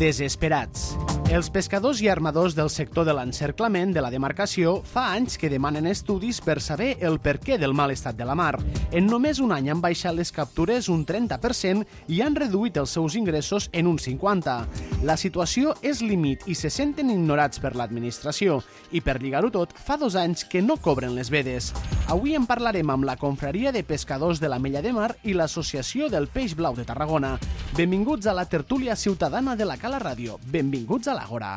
Desesperats. Els pescadors i armadors del sector de l'encerclament de la demarcació fa anys que demanen estudis per saber el perquè del mal estat de la mar. En només un any han baixat les captures un 30% i han reduït els seus ingressos en un 50%. La situació és límit i se senten ignorats per l'administració i per lligar-ho tot fa 2 anys que no cobren les vedes. Avui en parlarem amb la Confraria de Pescadors de l'Ametlla de Mar i l'Associació del Peix Blau de Tarragona. Benvinguts a la tertúlia ciutadana de la Cala Ràdio. Benvinguts a l'Àgora.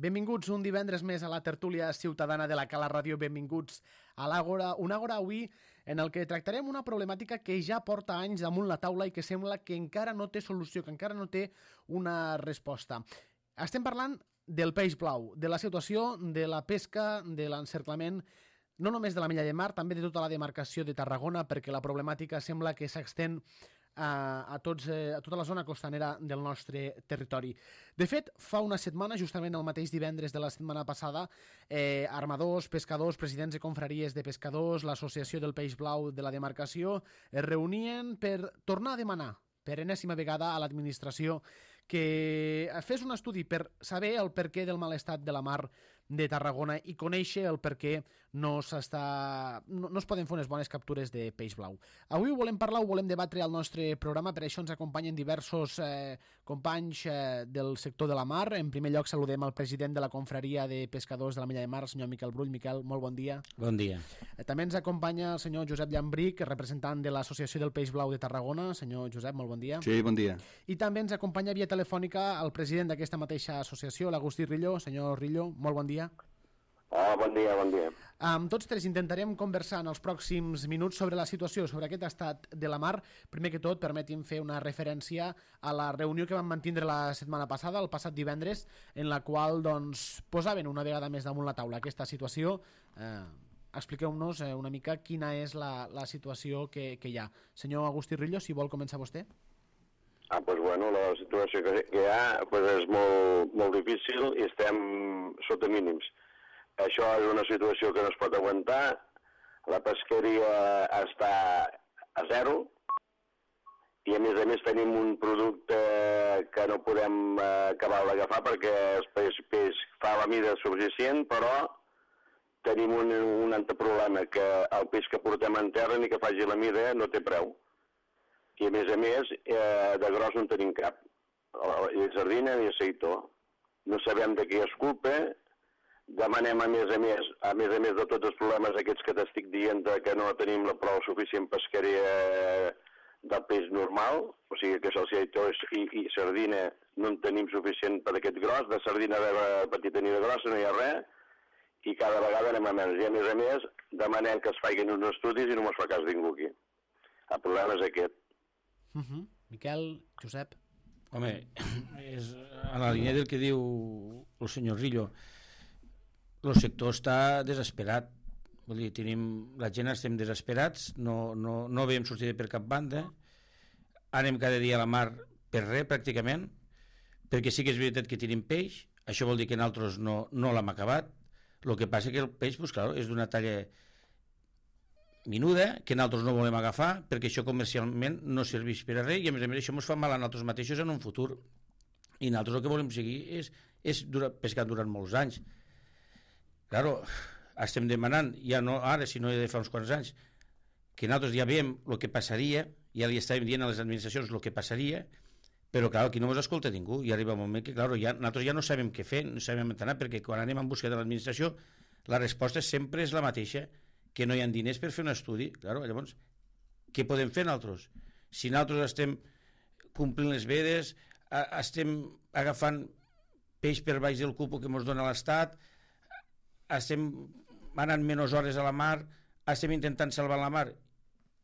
Benvinguts un divendres més a la tertúlia ciutadana de la Cala Ràdio. Benvinguts a l'Àgora, un Àgora avui en el que tractarem una problemàtica que ja porta anys damunt la taula i que sembla que encara no té solució, que encara no té una resposta. Estem parlant del peix blau, de la situació de la pesca, de l'encerclament, no només de l'Ametlla de Mar, també de tota la demarcació de Tarragona, perquè la problemàtica sembla que s'extén a tota la zona costanera del nostre territori. De fet, fa una setmana, justament el mateix divendres de la setmana passada, armadors, pescadors, presidents de confraries de pescadors, l'Associació del Peix Blau de la demarcació, es reunien per tornar a demanar per enèsima vegada a l'administració que fes un estudi per saber el perquè del mal estat de la mar de Tarragona i conèixer el perquè no es poden fer unes bones captures de peix blau. Avui ho volem parlar, ho volem debatre al nostre programa, per això ens acompanyen diversos companys del sector de la mar. En primer lloc saludem el president de la Confraria de Pescadors de l'Ametlla de Mar, el senyor Miquel Brull. Miquel, molt bon dia. Bon dia. També ens acompanya el senyor Josep Llambric, representant de l'Associació del Peix Blau de Tarragona. Senyor Josep, molt bon dia. Sí, bon dia. I també ens acompanya via telefònica el president d'aquesta mateixa associació, l'Agustí Rillo. Senyor Rillo, molt bon dia. Bon dia, bon dia. Amb tots tres intentarem conversar en els pròxims minuts sobre la situació, sobre aquest estat de la mar. Primer que tot, permeti'm fer una referència a la reunió que vam mantindre la setmana passada, el passat divendres, en la qual posaven una vegada més damunt la taula aquesta situació. Expliqueu-nos una mica quina és la situació que hi ha. Senyor Agustí Rillo, si vol començar vostè. Pues bueno, la situació que hi ha és molt difícil i estem sota mínims. Això és una situació que no es pot aguantar. La pesqueria està a zero i a més tenim un producte que no podem acabar d'agafar perquè el peix fa la mida suficient, però tenim un altre problema, que el peix que portem en terra ni que faci la mida no té preu. I a més, de gros no tenim cap. Ni sardina ni aceitó. No sabem de què és culpa. Demanem, a més de tots els problemes aquests que t'estic dient, que no tenim la prou suficient pesqueria del peix normal, o sigui que aceitó i sardina no en tenim suficient per aquest gros, de sardina de petita ni de grossa no hi ha res, i cada vegada anem a menys. I a més demanem que es facin uns estudis i no ens fa cas ningú aquí. El problema és aquest. Miquel, Josep. Home, és a la línia del que diu el senyor Rillo. El sector està desesperat. Vull dir, la gent estem desesperats, no veiem sortida per cap banda, anem cada dia a la mar per res, pràcticament, perquè sí que és veritat que tenim peix, això vol dir que nosaltres no l'hem acabat. El que passa que el peix, clar, és d'una talla minuda, que nosaltres no volem agafar, perquè això comercialment no serveix per a res, i a més això ens fa mal a nosaltres mateixos en un futur. I nosaltres el que volem seguir és pescar durant molts anys. Claro, estem demanant, ja no ara, sinó de fa uns quants anys, que nosaltres ja veiem el que passaria, ja li estàvem dient a les administracions el que passaria, però clar, aquí no ens escolta ningú, i arriba un moment que nosaltres ja no sabem què fer, no sabem on anar, perquè quan anem en busca de l'administració la resposta sempre és la mateixa, que no hi ha diners per fer un estudi. Claro, llavors, què podem fer nosaltres? Si nosaltres estem complint les vedes, estem agafant peix per baix del cupo que ens dona l'Estat, estem anant menys hores a la mar, estem intentant salvar la mar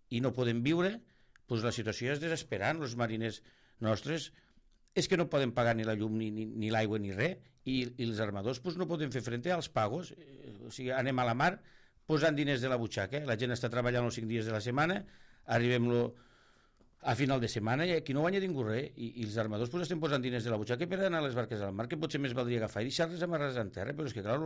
i no podem viure, doncs la situació és desesperant. Els mariners nostres és que no poden pagar ni la llum ni l'aigua ni res, i els armadors no poden fer frente als pagos. O sigui, anem a la mar posant diners de la butxaca, la gent està treballant els 5 dies de la setmana, arribem a final de setmana i aquí no guanya ningú res, i els armadors pues, estem posant diners de la butxaca per anar a les barques al mar, que potser més valdria agafar i deixar-les amarrades en terra, però és que clar,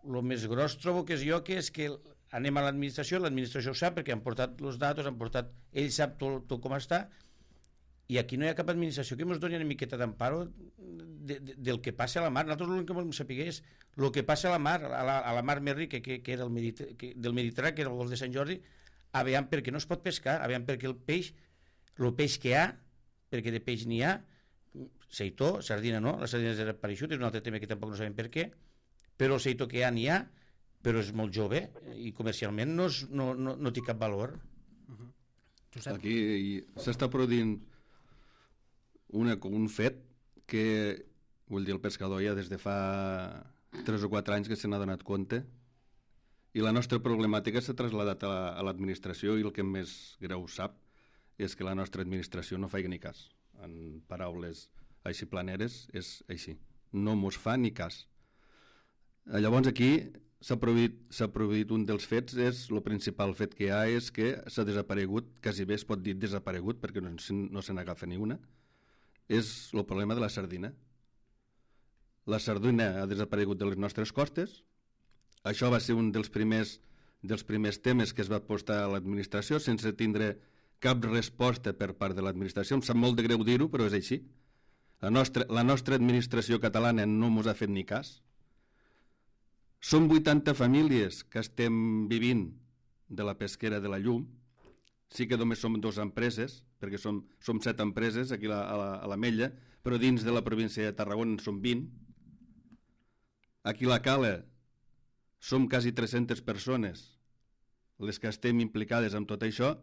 lo més gros trobo que és jo, que és que anem a l'administració ho sap perquè han portat els datos, ell sap tot com està, i aquí no hi ha cap administració que ens doni una miqueta d'emparo del que passa a la mar. Nosaltres l'únic que volem saber és el que passa a la mar, a la mar més rica, que era del Mediterrani, que era el golf de Sant Jordi, aviam perquè no es pot pescar, aviam perquè el peix que hi ha, perquè de peix n'hi ha, seitó, sardina no, la sardina és desapareixut, és un altre tema que tampoc no sabem per què, però el seitó que n'hi ha, però és molt jove i comercialment no té cap valor. Aquí s'està produint un fet que, vull dir, el pescador ja des de fa 3 o 4 anys que se n'ha donat compte, i la nostra problemàtica s'ha traslladat a l'administració, i el que més greu sap és que la nostra administració no fa ni cas. En paraules així planeres és així, no mos fa ni cas. Llavors aquí s'ha produït un dels fets, el principal fet que hi ha és que s'ha desaparegut, quasi bé es pot dir desaparegut perquè no se n'agafa ni una, és el problema de la sardina. La sardina ha desaparegut de les nostres costes. Això va ser un dels primers temes que es va posar a l'administració sense tindre cap resposta per part de l'administració. Em sap molt de greu dir-ho, però és així. La nostra administració catalana no ens ha fet ni cas. Som 80 famílies que estem vivint de la pesquera de la llum. Sí que només som 2 empreses, perquè som 7 empreses aquí a l'Ametlla, però dins de la província de Tarragona en som 20. Aquí a la Cala som quasi 300 persones les que estem implicades en tot això.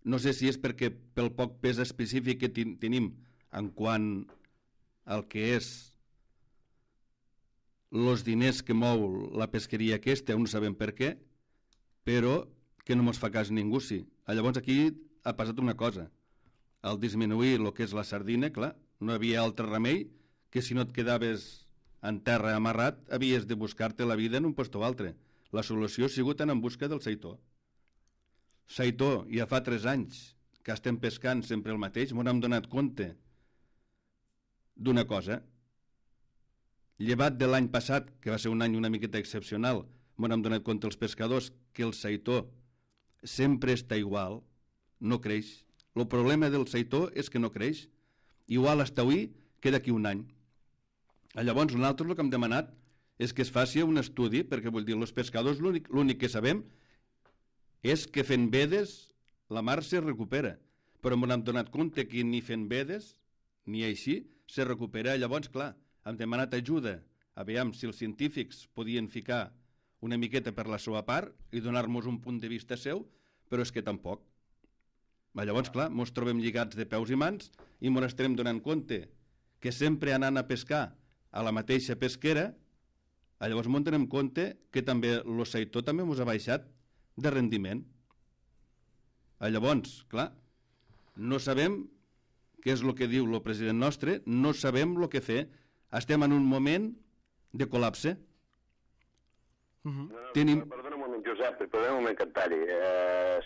No sé si és perquè pel poc pes específic que tenim en quant al que és els diners que mou la pesqueria aquesta, no sabem per què, però que no ens fa cas ningú, sí. Llavors aquí ha passat una cosa. Al disminuir el que és la sardina, clar, no hi havia altre remei que si no et quedaves en terra amarrat havies de buscar-te la vida en un lloc o altre. La solució ha sigut anar en busca del seitó. Seitó, ja fa 3 anys que estem pescant sempre el mateix, m'ho hem donat compte d'una cosa. Llevat de l'any passat, que va ser un any una miqueta excepcional, m'ho hem donat compte els pescadors que el seitó sempre està igual, no creix. El problema del seitó és que no creix. Igual hasta avui que d'aquí un any. Llavors nosaltres el que hem demanat és que es faci un estudi, perquè vull dir, els pescadors l'únic que sabem és que fent vedes la mar se recupera, però m'ho hem donat compte que ni fent vedes ni així se recupera. Llavors, clar, hem demanat ajuda a veure si els científics podien ficar una miqueta per la seva part i donar-nos un punt de vista seu, però és que tampoc. Llavors, clar, ens trobem lligats de peus i mans i ens estarem donant compte que sempre anant a pescar a la mateixa pesquera, llavors ens donem compte que també el seitó també ens ha baixat de rendiment. Llavors, clar, no sabem què és el que diu el president nostre, no sabem el que fer. Estem en un moment de col·lapse. Perdona un moment, Josep, perdona un moment que et talli.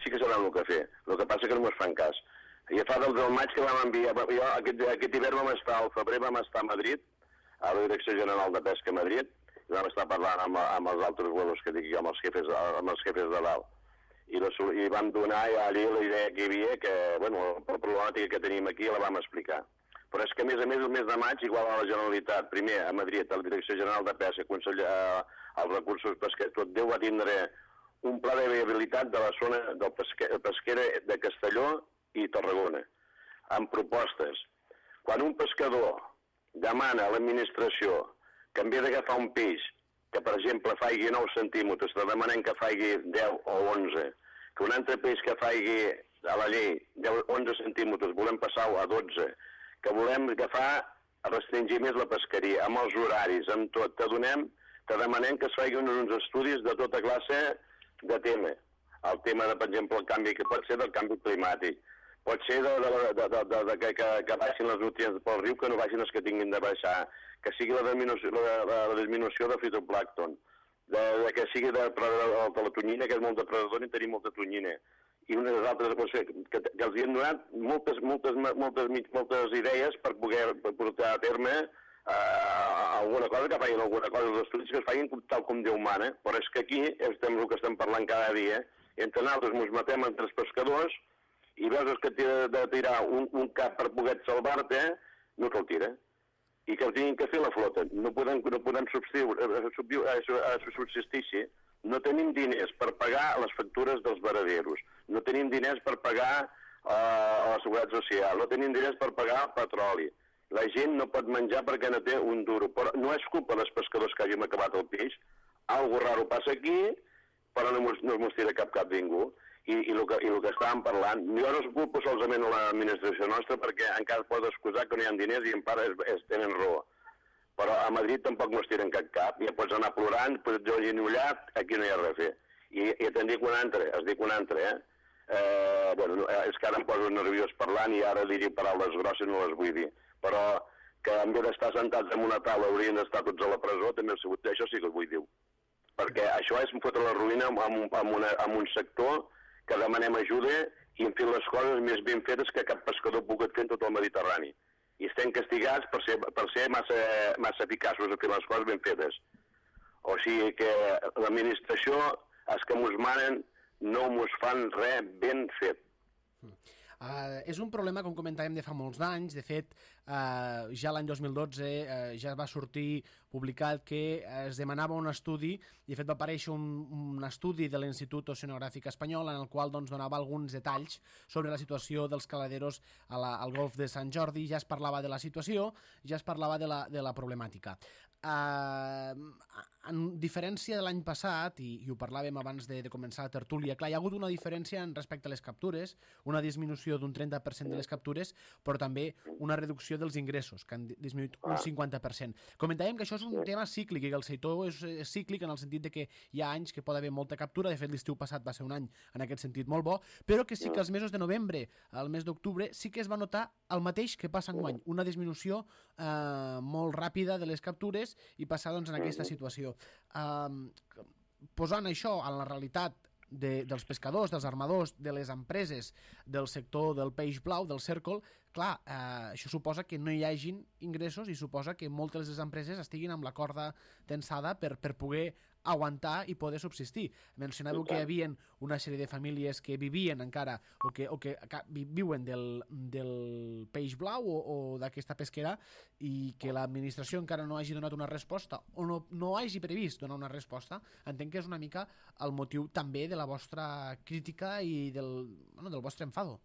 Sí que sabem el que fer. El que passa que no ens fan cas. Ja fa del maig que vam enviar... Jo, aquest hivern vam estar, al febrer vam estar a Madrid, a la Direcció General de Pesca a Madrid, i vam estar parlant amb els altres vuelos que dic jo, amb els jefes de dalt. I vam donar allí la idea que hi havia, que, bueno, la problemàtica que tenim aquí la vam explicar. Però és que, a més, el mes de maig, igual a la Generalitat, primer a Madrid, a la Direcció General de Pesca, als recursos pesquers, tot Déu va tindre un pla de viabilitat de la zona del pesquera de Castelló i Tarragona, amb propostes. Quan un pescador demana a l'administració que en vez d'agafar un peix que, per exemple, faigui 9 centímetres, te demanem que faigui 10 o 11, que un altre peix que faigui a la llei 11 centímetres volem passar-ho a 12, que volem agafar, restringir més la pesqueria, amb els horaris, amb tot, te demanem que es faiguin uns estudis de tota classe de tema. El tema, per exemple, el canvi que pot ser del canvi climàtic, pot ser que baixin les nutrients pel riu, que no baixin els que tinguin de baixar, que sigui la disminució de fitoplàncton, que sigui de la tonyina, que és molt depredador i tenim molta tonyina, i unes altres que els han donat moltes idees per poder portar a terme alguna cosa, que facin alguna cosa, els estudis que es facin tal com Déu mana, però és que aquí estem el que estem parlant cada dia, entre nosaltres ens matem entre els pescadors i veus que t'ha de tirar un cap per poder salvar-te, no te'l tira. I que el tinguin que fer la flota. No podem subsistir. No tenim diners per pagar les factures dels varaderos, no tenim diners per pagar la seguretat social, no tenim diners per pagar petroli. La gent no pot menjar perquè no té un duro. Però no és culpa dels pescadors que hàgim acabat el peix. Algo raro passa aquí, però no mos tira cap ningú. I el que estàvem parlant, jo no es culpo solament a l'administració nostra perquè encara es pot excusar que no hi ha diners i en part tenen raó. Però a Madrid tampoc mos tiren cap. Ja pots anar plorant, pots dir genollat, aquí no hi ha res a fer. I te'n dic un altre, bueno, és que ara em poso nerviós parlant i ara diré paraules grosses, no les vull dir. Però que en vez d'estar sentats en una taula haurien d'estar tots a la presó, també ha sigut, això sí que ho vull dir. Perquè això és fotre la ruïna en un sector que demanem ajuda i hem fet les coses més ben fetes que cap pescador ha pogut fer en tot el Mediterrani. I estem castigats per ser massa eficaços a fer les coses ben fetes. O sigui que l'administració, els que mos manen, no mos fan res ben fet. És un problema, com comentàvem, de fa molts anys. De fet, ja l'any 2012 ja va sortir publicat que es demanava un estudi, i de fet va aparèixer un estudi de l'Institut Oceanogràfic Espanyol en el qual donava alguns detalls sobre la situació dels caladeros al golf de Sant Jordi. Ja es parlava de la situació, ja es parlava de la problemàtica. En diferència de l'any passat, i ho parlàvem abans de començar la tertúlia, clar, hi ha hagut una diferència respecte a les captures, una disminució d'un 30% de les captures, però també una reducció dels ingressos, que han disminuït un 50%. Comentàvem que això és un tema cíclic, i que el sector és cíclic en el sentit de que hi ha anys que pot haver molta captura, de fet l'estiu passat va ser un any en aquest sentit molt bo, però que sí que els mesos de novembre al mes d'octubre sí que es va notar el mateix que passa enguany, una disminució molt ràpida de les captures i passar doncs, en aquesta situació. Posant això en la realitat dels pescadors, dels armadors, de les empreses del sector del peix blau, del cèrcol, clar, això suposa que no hi hagin ingressos i suposa que moltes de les empreses estiguin amb la corda tensada per poder aguantar i poder subsistir. Mencionàveu que hi havia una sèrie de famílies que vivien encara o que viuen del peix blau o d'aquesta pesquera i que l'administració encara no hagi donat una resposta o no hagi previst donar una resposta. Entenc que és una mica el motiu també de la vostra crítica i del vostre enfado.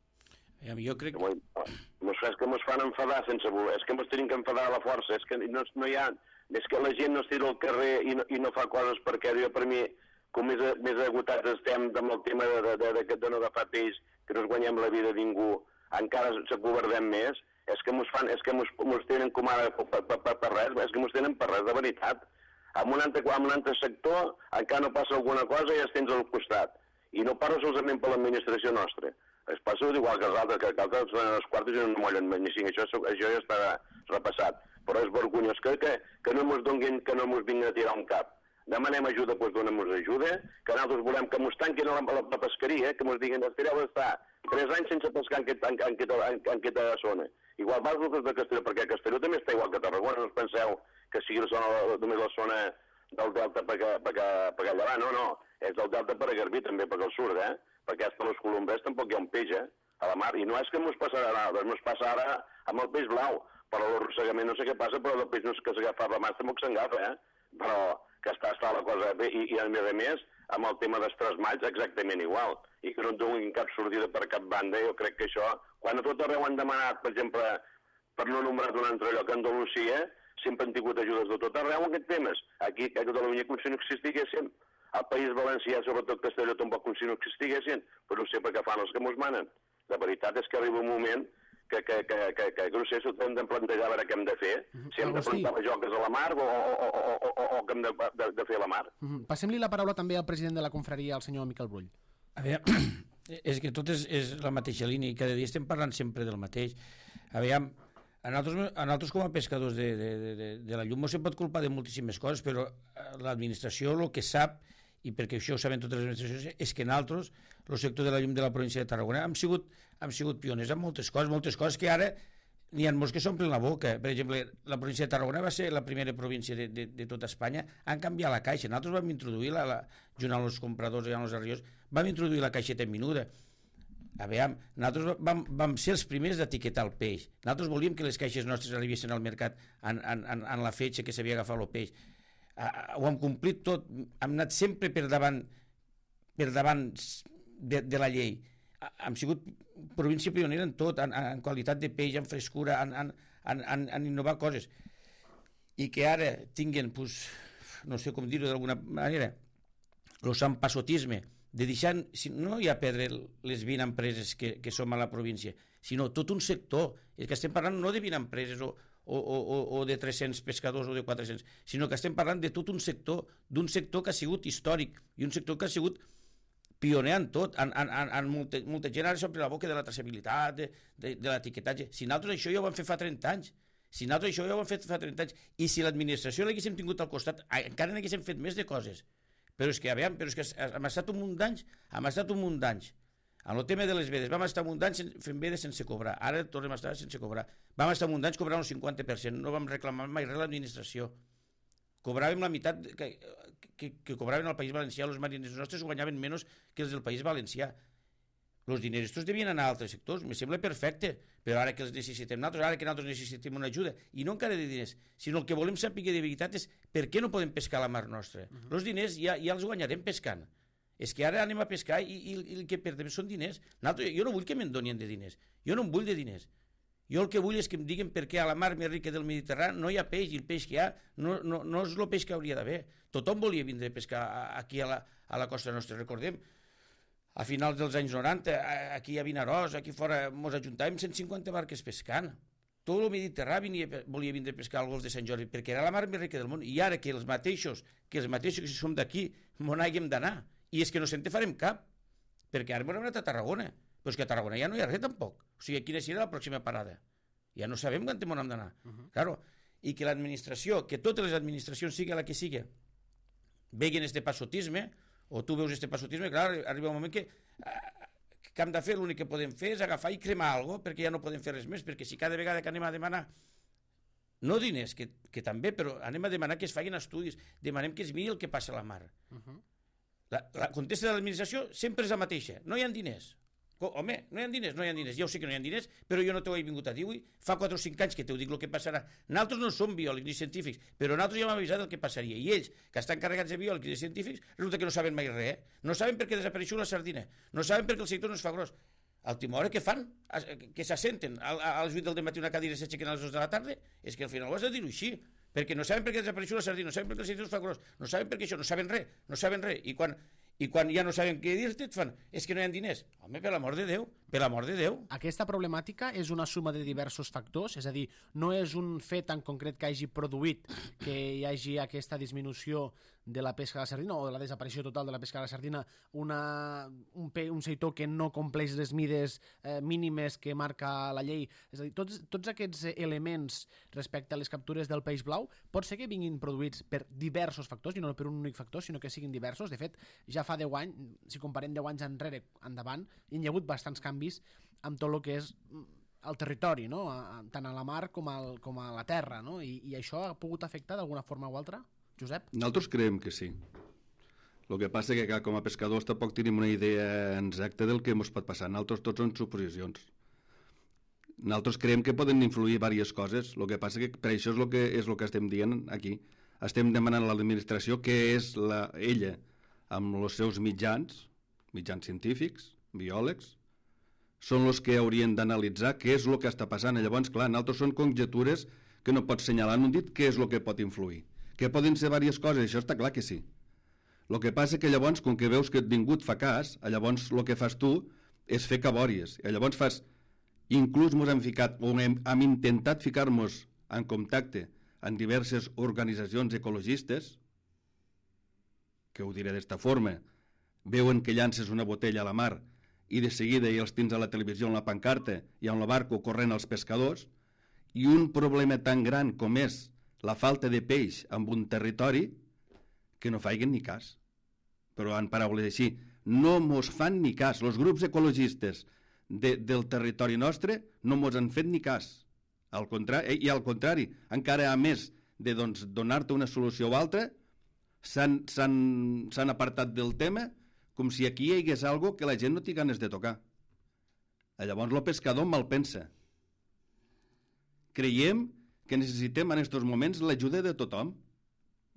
Jo crec que... És que mos fan enfadar sense voler, és que mos tenim que enfadar a la força, és que no hi ha... És que la gent no es tira al carrer i no fa coses perquè per mi, com més agotats estem amb el tema de no agafar peix, que no es guanyem la vida a ningú, encara s'acobardem més, és que mos tenen com ara per res, és que mos tenen per res, de veritat. En un altre sector encara no passa alguna cosa i ja tens al costat. I no parlo solament per l'administració nostra. Es passa igual que els altres, que els altres són els quartos i no mollen ni cinc. Això ja està repassat. Però és vergonyós que no mos donguin, que no mos vinguin a tirar un cap. Demanem ajuda, doncs donem-nos ajuda, que nosaltres volem que mos tanquin la pesqueria, que mos diguin, estireu d'estar 3 anys sense pescar en aquesta zona. Igual vas de Castelló, perquè Castelló també està igual que Tarragona, no us penseu que sigui només la zona del delta per allà, no, és del delta per a Garbí també, per al sud, perquè hasta los colombers tampoc hi ha un peix, a la mar, i no és que mos passarà ara, mos passa ara amb el peix blau, però l'arrossegament no sé què passa, però el peix no és que s'agafa la mà, tampoc s'engafa, però que està la cosa bé, i a més, amb el tema dels trasmalls, exactament igual, i que no et donin cap sortida per cap banda, jo crec que això, quan a tot arreu han demanat, per exemple, per no nombrar d'un altre lloc, Andalusia, sempre han tingut ajudes de tot arreu en aquests temes. Aquí, a Catalunya, com si no existiguessin. Al País Valencià, sobretot Castelló, tampoc com si no existiguessin, però no sé per què fan els que mos manen. La veritat és que arriba un moment que no sé si ho hem de plantejar a veure què hem de fer, si hem de plantar les joques a la mar o què hem de fer a la mar. Passem-li la paraula també al president de la confraria, el senyor Miquel Brull. A veure, és que tot és la mateixa línia i cada dia estem parlant sempre del mateix. A veure, a nosaltres com a pescadors de la llum no se pot culpar de moltíssimes coses, però l'administració el que sap i perquè això ho saben totes les administracions, és que nosaltres, el sector de la llum de la província de Tarragona, hem sigut pioners en moltes coses que ara n'hi ha molts que s'omplen la boca. Per exemple, la província de Tarragona va ser la primera província de tota Espanya en canviar la caixa. Nosaltres vam introduir, junt amb els compradors i amb els arriós, vam introduir la caixeta menuda. Aviam, nosaltres vam ser els primers d'etiquetar el peix. Nosaltres volíem que les caixes nostres arribessin al mercat en la fetge que s'havia agafat el peix. Ho hem complit tot, hem anat sempre per davant de la llei. Hem sigut província pionera en tot, en qualitat de peix, en frescura, en innovar coses. I que ara tinguen, no sé com dir-ho d'alguna manera, el sant passotisme, de deixar, no ja perdre les 20 empreses que som a la província, sinó tot un sector. És que estem parlant no de 20 empreses o de 300 pescadors o de 400, sinó que estem parlant de tot un sector, d'un sector que ha sigut històric i un sector que ha sigut pioner en tot, en molta gent ara s'omple la boca de la traçabilitat, de l'etiquetatge. Si nosaltres això ja ho vam fer fa 30 anys, i si l'administració l'haguéssim tingut al costat, encara n'haguéssim fet més de coses. Però és que hem estat un munt d'anys, en el tema de les vedes, vam estar un munt d'anys fent vedes sense cobrar, ara tornem a estar sense cobrar, vam estar un munt d'anys cobrant el 50%, no vam reclamar mai res a l'administració, cobràvem la meitat que cobraven al País Valencià, els mariners nostres guanyaven menys que els del País Valencià. Els diners estos devien anar a altres sectors, me sembla perfecte, però ara que els necessitem nosaltres, ara que nosaltres necessitem una ajuda, i no encara de diners, sinó el que volem saber de veritat és per què no podem pescar a la mar nostra. Els diners ja els guanyarem pescant. És que ara anem a pescar i el que perdem són diners. Jo no vull que me'n donin de diners, jo no en vull de diners. Jo el que vull és que em diguin per què a la mar més rica del Mediterrani no hi ha peix, i el peix que hi ha no és el peix que hauria d'haver. Tothom volia vindre a pescar aquí a la costa nostra, recordem. A finals dels anys 90, aquí a Vinaròs, aquí fora, ens ajuntàvem 150 barques pescant. Tot el Mediterrani volia vindre a pescar al golf de Sant Jordi, perquè era la mar més rica del món. I ara que els mateixos que som d'aquí, m'on hàgim d'anar. I és que no se'n te farem cap, perquè ara m'hem anat a Tarragona. Però és que a Tarragona ja no hi ha res tampoc. O sigui, quina serà la pròxima parada? Ja no sabem quan m'on hem d'anar. Claro. I que l'administració, que totes les administracions, sigui la que sigui, veguen este passotisme, o tu veus este passotisme, clar, arriba un moment que hem de fer, l'únic que podem fer és agafar i cremar alguna cosa, perquè ja no podem fer res més, perquè si cada vegada que anem a demanar, no diners, que també, però anem a demanar que es facin estudis, demanem que es miri el que passa a la mar. La contesta de l'administració sempre és la mateixa, no hi ha diners. Home, no hi ha diners, ja ho sé que no hi ha diners, però jo no t'ho he vingut a dir avui, fa 4 o 5 anys que t'ho dic el que passarà. Nosaltres no som biòlegs ni científics, però nosaltres ja hem avisat el que passaria, i ells, que estan carregats de biòlegs i de científics, resulta que no saben mai res, no saben per què desapareixeu la sardina, no saben per què el sector no es fa gros. Al Timor, què fan? Que s'assenten a les 8 del matí una cadira i s'aixequen a les 2 de la tarda? És que al final ho has de dir-ho així, perquè no saben per què desapareixeu la sardina, no saben per què el sector es fa gros, no saben per què això, no saben res, i quan ja no saben què dir-te et fan, és que no hi ha diners. Home, per l'amor de Déu. Aquesta problemàtica és una suma de diversos factors, és a dir, no és un fet en concret que hagi produït que hi hagi aquesta disminució de la pesca de la sardina o de la desaparició total de la pesca de la sardina, un sector que no compleix les mides mínimes que marca la llei. És a dir, tots aquests elements respecte a les captures del peix blau pot ser que vinguin produïts per diversos factors, i no per un únic factor, sinó que siguin diversos. De fet, ja fa 10 anys, si comparem 10 anys enrere endavant, hi ha hagut bastants canvis amb tot el que és el territori, no? Tant a la mar com a la terra, no? I això ha pogut afectar d'alguna forma o altra? Josep? Nosaltres creiem que sí. El que passa és que com a pescadors tampoc tenim una idea exacta del que ens pot passar. Nosaltres tots són suposicions. Nosaltres creiem que poden influir diverses coses. El que passa és que per això és el que estem dient aquí. Estem demanant a l'administració que és ella, amb els seus mitjans científics, biòlegs, són els que haurien d'analitzar què és el que està passant. Llavors, clar, nosaltres són conjectures que no pots senyalar en un dit què és el que pot influir. Que poden ser diverses coses, això està clar que sí. El que passa que llavors, com que veus que ningú et fa cas, llavors el que fas tu és fer cabòries. I llavors fas, inclús hem intentat ficar-nos en contacte amb diverses organitzacions ecologistes, que ho diré d'esta forma, veuen que llances una botella a la mar i de seguida ja els tens a la televisió en la pancarta i amb el barco corrent als pescadors, i un problema tan gran com és la falta de peix en un territori, que no faiguen ni cas. però en paraules així, no mos fan ni cas. Els grups ecologistes del territori nostre no mos han fet ni cas. Al contrari, i al contrari, encara a més de donar-te una solució o altra, s'han apartat del tema com si aquí hi hagués algo que la gent no té ganes de tocar. Llavors el pescador mal pensa. Creiem que necessitem en aquests moments l'ajuda de tothom.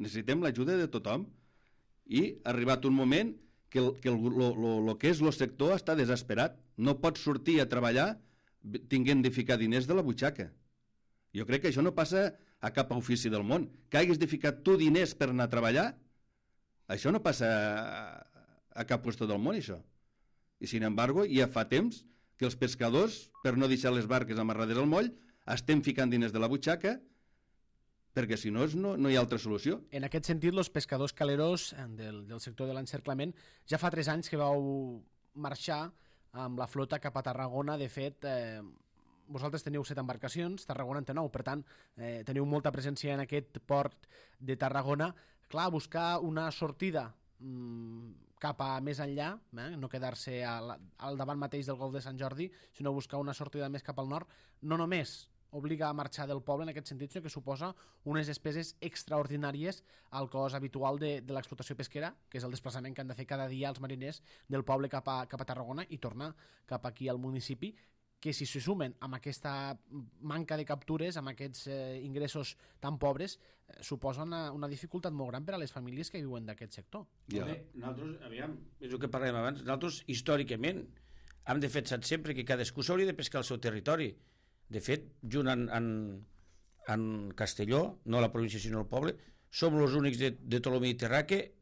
Necessitem l'ajuda de tothom i ha arribat un moment que el que és el sector està desesperat. No pots sortir a treballar tinguent de ficar diners de la butxaca. Jo crec que això no passa a cap ofici del món. Que hagis de ficar tu diners per anar a treballar, això no passa a cap lloc del món, això. I, sin embargo, ja fa temps que els pescadors, per no deixar les barques amarrades al moll, estem ficant diners de la butxaca perquè si no, no hi ha altra solució. En aquest sentit, els pescadors caleros del sector de l'encerclament ja fa 3 anys que vau marxar amb la flota cap a Tarragona. De fet, vosaltres teniu 7 embarcacions, Tarragona en té 9, per tant, teniu molta presència en aquest port de Tarragona. Clar, buscar una sortida cap a més enllà, no quedar-se al davant mateix del Golf de Sant Jordi, sinó buscar una sortida més cap al nord, no només obliga a marxar del poble en aquest sentit, sinó que suposa unes despeses extraordinàries al cost habitual de l'explotació pesquera, que és el desplaçament que han de fer cada dia els mariners del poble cap a Tarragona i tornar cap aquí al municipi, que si se sumen amb aquesta manca de captures, amb aquests ingressos tan pobres, suposa una dificultat molt gran per a les famílies que viuen d'aquest sector. Ja. Nosaltres, aviam, és el que parlàvem abans, nosaltres històricament hem defensat sempre que cadascú s'hauria de pescar al seu territori. De fet, junt en Castelló, no la província sinó el poble, som els únics de tot el Mediterrà que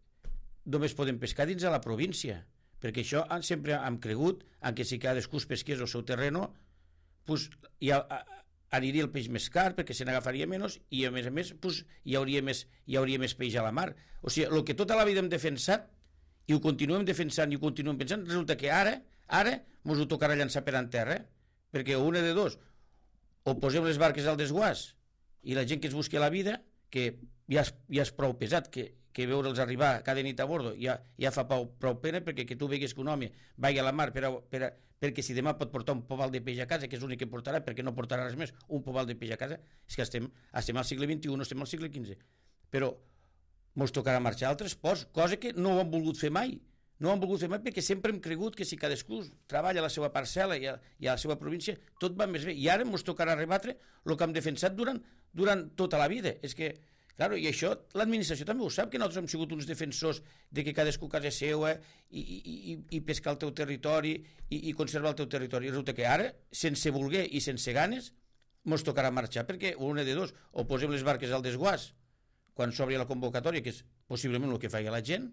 només podem pescar dins de la província, perquè això sempre hem cregut en que si cadascú es pesqués al seu terreno, pues, aniria el peix més car perquè se n'agafaria menys i a més pues, hi hauria més peix a la mar. O sigui, el que tota la vida hem defensat i ho continuem defensant i ho continuem pensant, resulta que ara mos ho tocarà llançar per en terra, perquè una de dos, o posem les barques al desguàs i la gent que es busqui la vida, que ja és prou pesat, que veure'ls arribar cada nit a bordo ja fa prou pena, perquè que tu vegues que un home vagi a la mar perquè si demà pot portar un pobal de peix a casa, que és l'únic que portarà, perquè no portarà res més, un pobal de peix a casa, és que estem al segle XXI, no estem al segle XV. Però mos tocarà marxar a altres ports, cosa que no ho han volgut fer mai. No ho han volgut fer mai perquè sempre hem cregut que si cadascú treballa a la seva parcel·la i a la seva província, tot va més bé. I ara ens tocarà rebatre el que hem defensat durant tota la vida. És que, clar, i això l'administració també ho sap, que nosaltres hem sigut uns defensors de que cadascú a casa seva i pescar el teu territori i conservar el teu territori. I resulta que ara, sense voler i sense ganes, ens tocarà marxar, perquè una de dos, o posem les barques al desguàs quan s'obri la convocatòria, que és possiblement el que faci la gent,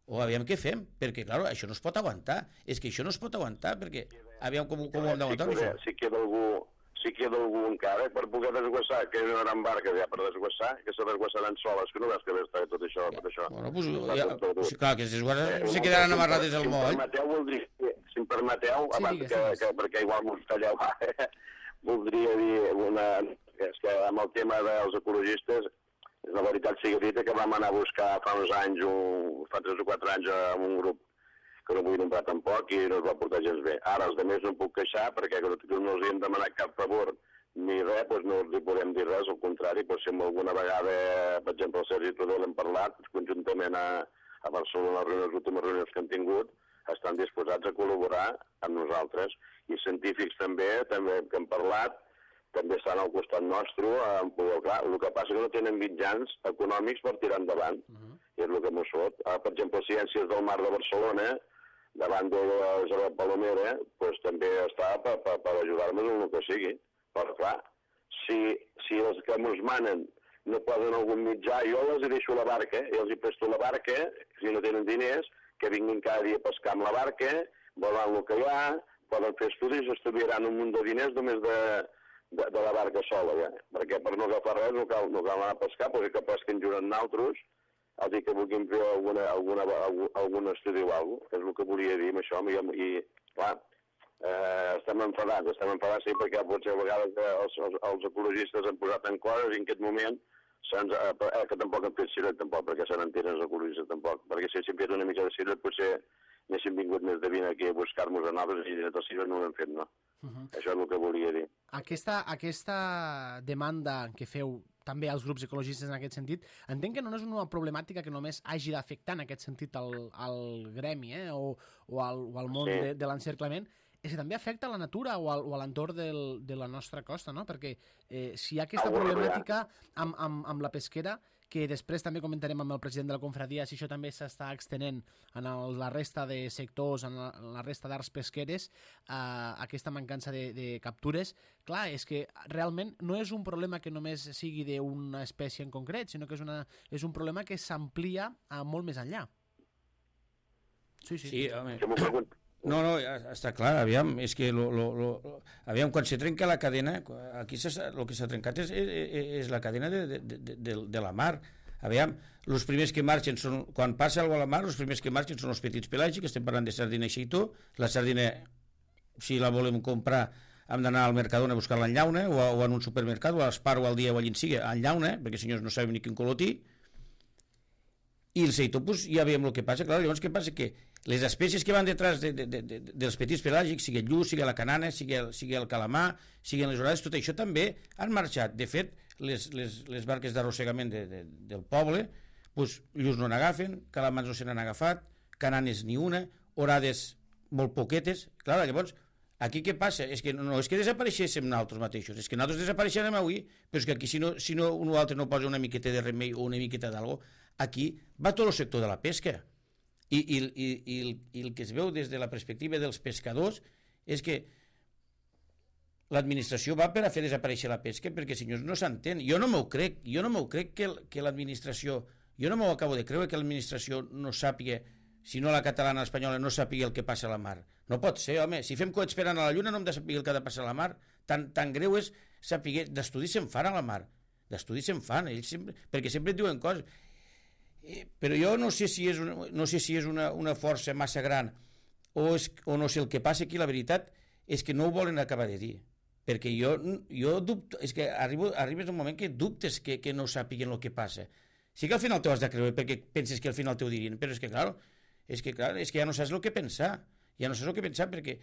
o aviam què fem, perquè, clar, això no es pot aguantar. És que això no es pot aguantar, perquè aviam com ho hem d'aguantar. Si queda algú encara per poder desguassar, que hi ha una gran barca ja per desguassar, que se desguassaran soles, que no veus que està tot això. Bueno, doncs, clar, que se quedaran amarrades al moll. Si em permeteu, perquè igual m'ho talleu, voldria dir és que amb el tema dels ecologistes, la veritat sigui dita que vam anar a buscar fa uns anys, fa 3 o 4 anys, amb un grup que no vull nombrar tampoc i no es va portar gens bé. Ara els altres no em puc queixar perquè no els hem demanat cap favor ni res, doncs no els podem dir res, al contrari, si alguna vegada, per exemple, el Sergi Tudor l'hem parlat, conjuntament a Barcelona, les últimes reunions que hem tingut, estan disposats a col·laborar amb nosaltres. I científics també que hem parlat, també estan al costat nostre, clar, el que passa que no tenen mitjans econòmics per tirar endavant, i és el que m'ho sot. Per exemple, Ciències del Mar de Barcelona, davant de la Palomera, doncs també està per ajudar-nos en el que sigui. Però clar, si els que ens manen no poden algun mitjà, jo els deixo la barca, i els presto la barca, si no tenen diners, que vinguin cada dia a pescar amb la barca, veuran el que hi ha, poden fer estudis, estudiaran un munt de diners només de la barca sola, perquè per no agafar res no cal anar a pescar, perquè que pesquin junt amb nosaltres, el dir que vulguin fer algun estudi o alguna cosa, és el que volia dir amb això, i clar, estem enfadats, sí, perquè potser a vegades els ecologistes han posat en coses i en aquest moment que tampoc hem fet cilet, tampoc, perquè se n'entenen els oculistes, tampoc. Perquè si haguéssim fet una mica de cilet, potser n'haguéssim vingut més de 20 aquí a buscar-nos a noves i de cilet no ho hem fet, no. Això és el que volia dir. Aquesta demanda que feu també als grups ecologistes en aquest sentit, entenc que no és una problemàtica que només hagi d'afectar en aquest sentit al gremi o al món de l'encerclament, és que també afecta a la natura o a l'entorn de la nostra costa, no? Perquè si hi ha aquesta problemàtica amb la pesquera, que després també comentarem amb el president de la confraria si això també s'està extenent en la resta de sectors, en la resta d'arts pesqueres, aquesta mancança de captures. Clar, és que realment no és un problema que només sigui d'una espècie en concret, sinó que és un problema que s'amplia molt més enllà. Sí, home. No, està clar, aviam, és que aviam, quan se trenca la cadena, aquí el que s'ha trencat és la cadena de la mar. Aviam, els primers que marxen són, quan passa alguna cosa a la mar, els primers que marxen són els petits pelàgics, estem parlant de sardina i xeitó. La sardina, si la volem comprar, hem d'anar al Mercadona a buscar-la en llauna, o en un supermercat, o a l'Espar o al Dia o allà en sigui, en llauna, perquè senyors no sabem ni quin colotí. I el seitó, doncs, ja veiem el que passa. Clar, llavors, què passa? Que les espècies que van detrás dels petits pelàgics, sigui el lluç, sigui la canana, sigui el calamar, siguin les orades, tot això també han marxat. De fet, les barques d'arrossegament del poble, doncs, lluç no n'agafen, calamars no se n'han agafat, cananes ni una, orades molt poquetes. Clar, llavors, aquí què passa? És que no és que desapareixéssim nosaltres mateixos, és que nosaltres desapareixerem avui, però és que aquí si no un o altre no posa una miqueta de remei o una miqueta d'algo, aquí va tot el sector de la pesca. I el que es veu des de la perspectiva dels pescadors és que l'administració va per a fer desaparèixer la pesca, perquè, senyors, no s'entén. Jo no m'ho crec que l'administració, jo no m'ho acabo de creure que l'administració no sàpiga, si no la catalana o l'espanyola, no sàpiga el que passa a la mar. No pot ser, home, si fem coets per anar a la lluna no hem de saber el que ha de passar a la mar. Tan greu és saber, d'estudis se'n fan a la mar, d'estudis se'n fan, perquè sempre et diuen coses. Però jo no sé si és una força massa gran o no sé el que passa aquí. La veritat és que no ho volen acabar de dir, perquè jo dubto, és que arribes un moment que dubtes que no sàpiguen el que passa. Sí que al final t'ho has de creure perquè penses que al final t'ho dirien, però és que ja no saps el que pensar, perquè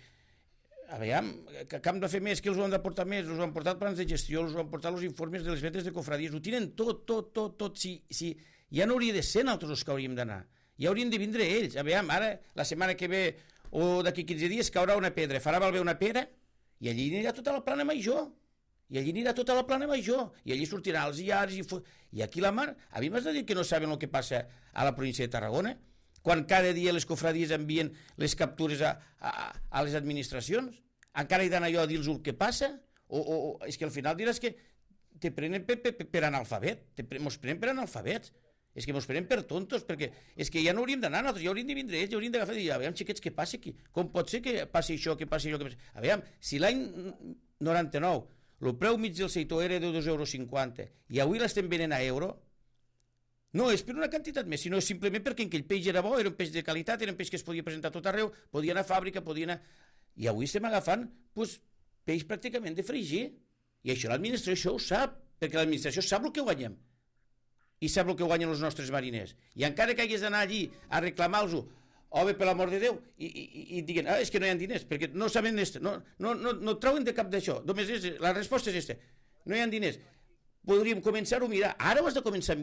aviam, que hem de fer més, que els ho han de portar més, els ho han portat plans de gestió, els ho han portat els informes de les vetes de cofradies, ho tenen tot. Si ja no hauria de ser nosaltres els que hauríem d'anar, ja haurien de vindre ells. Aviam, ara, la setmana que ve o d'aquí 15 dies caurà una pedra, farà malbé una pera i allí anirà tota la plana major, i allí sortiran els iars i aquí la mar. A mi m'has de dir que no saben el que passa a la província de Tarragona, quan cada dia les cofradies envien les captures a les administracions? Encara hi d'anar jo a dir-los el que passa? O és que al final diràs que te prenen per analfabet, mos prenen per analfabets. És que mos prenen per tontos, perquè és que ja no hauríem d'anar nosaltres, ja hauríem de vindre ells, ja hauríem d'agafar i dir, aviam, xiquets, què passa aquí? Com pot ser que passi això, que passi allò, que passi... Aviam, si l'any 99 el preu mig del seitó era de 2,50 € i avui l'estem venent a euro, no és per una quantitat més, sinó simplement perquè aquell peix era bo, era un peix de qualitat, era un peix que es podia presentar a tot arreu, podia anar a fàbrica, podia anar... I avui estem agafant peix pràcticament de fregir. I això l'administració ho sap, perquè l'administració sap el que guanyem. I sap el que guanyen els nostres mariners. I encara que hagués d'anar allí a reclamar-los-ho, home, per l'amor de Déu, i diguen, és que no hi ha diners, perquè no saben no trauen de cap d'això. Només la resposta és aquesta. No hi ha diners. Podríem començar-ho a mirar. Ara ho has de començar a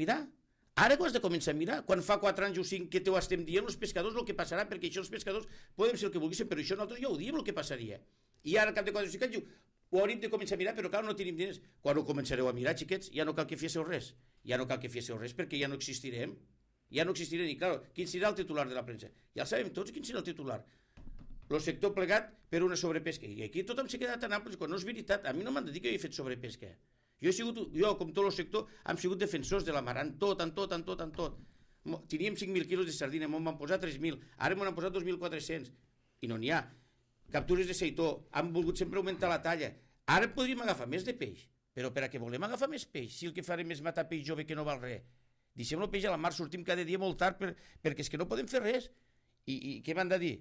mirar. Quan fa 4 anys o 5 que t'ho estem dient els pescadors el que passarà, perquè això els pescadors podem ser el que volguéssim, però això nosaltres ja ho diem el que passaria. I ara, al cap de 4 o 5 anys, diu, ho hauríem de començar a mirar, però clar, no tenim diners. Quan ho començareu a mirar, xiquets, ja no cal que féssiu res. Perquè ja no existirem. I clar, quin serà el titular de la premsa? Ja el sabem tots quin serà el titular. El sector plegat per una sobrepesca. I aquí tothom s'ha quedat tan ampli, quan no és veritat. A mi no m'han de dir que jo he fet sobrepesca. Jo, com tot el sector, hem sigut defensors de la mar, en tot. Teníem 5.000 quilos de sardina, m'ho van posar 3.000, ara m'ho han posat 2.400, i no n'hi ha. Captures de seitó, han volgut sempre augmentar la talla. Ara podríem agafar més de peix, però per a què volem agafar més peix? Si el que farem és matar peix jove que no val res. Deixem el peix a la mar, sortim cada dia molt tard perquè és que no podem fer res. I què m'han de dir?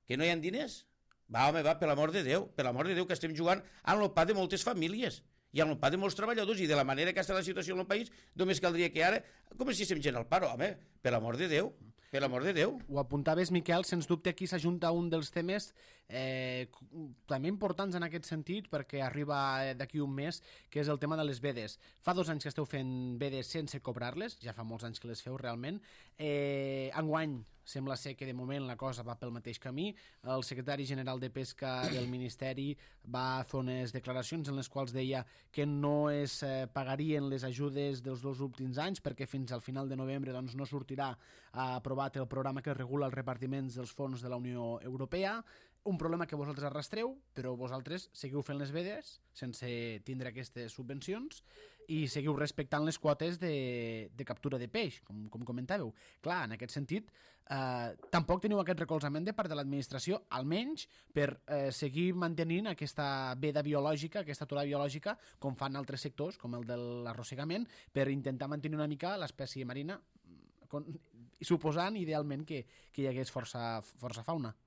Que no hi ha diners? Va, home, va, per l'amor de Déu, que estem jugant amb el pa de moltes famílies. i amb el pa de molts treballadors, i de la manera que està la situació en el país, només caldria que ara comencéssim gent al paro. Home, per l'amor de Déu, per l'amor de Déu. Ho apuntaves, Miquel, sens dubte aquí s'ajunta un dels temes també importants en aquest sentit, perquè arriba d'aquí un mes, que és el tema de les vedes. Fa 2 anys que esteu fent vedes sense cobrar-les, ja fa molts anys que les feu realment. Enguany sembla ser que de moment la cosa va pel mateix camí. El secretari general de Pesca del Ministeri va fer unes declaracions en les quals deia que no es pagarien les ajudes dels 2 últims anys perquè fins al final de novembre doncs, no sortirà aprovat el programa que regula els repartiments dels fons de la Unió Europea. Un problema que vosaltres arrastreu, però vosaltres seguiu fent les vedes sense tindre aquestes subvencions i seguiu respectant les quotes de captura de peix, com comentàveu. Clar, en aquest sentit, tampoc teniu aquest recolzament de part de l'administració, almenys per seguir mantenint aquesta veda biològica, aquesta aturada biològica, com fan altres sectors, com el de l'arrossegament, per intentar mantenir una mica l'espècie marina, suposant idealment que hi hagués força fauna.